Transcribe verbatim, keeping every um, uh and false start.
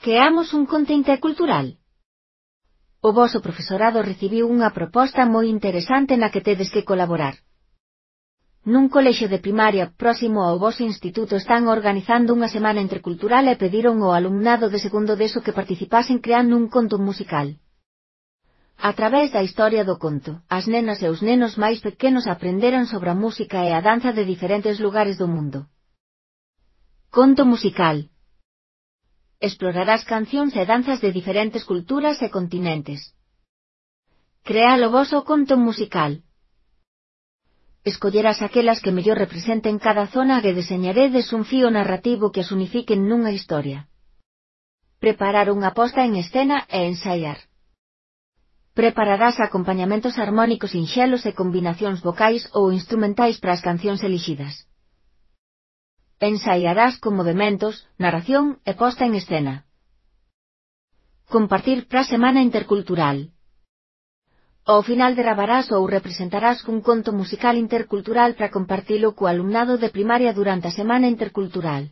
Creamos un conto intercultural. O voso profesorado recibiu unha proposta moi interesante na que tedes que colaborar. Nun colexio de primaria próximo ao voso instituto están organizando unha semana intercultural e pediron ao alumnado de segundo deso que participasen creando un conto musical. A través da historia do conto, as nenas e os nenos máis pequenos aprenderan sobre a música e a danza de diferentes lugares do mundo. Conto musical. Explorarás cancións e danzas de diferentes culturas e continentes. Crea o voso conto musical. Escollerás aquelas que mellor representen cada zona e deseñaredes un fío narrativo que as unifiquen nunha historia. Preparar unha posta en escena e ensaiar. Prepararás acompañamentos armónicos sinxelos e combinacións vocais ou instrumentais para as cancións elixidas. Ensaiarás con movementos, narración e posta en escena. Compartir para a semana intercultural. Ao final gravarás ou representarás un conto musical intercultural para compartilo co alumnado de primaria durante a semana intercultural.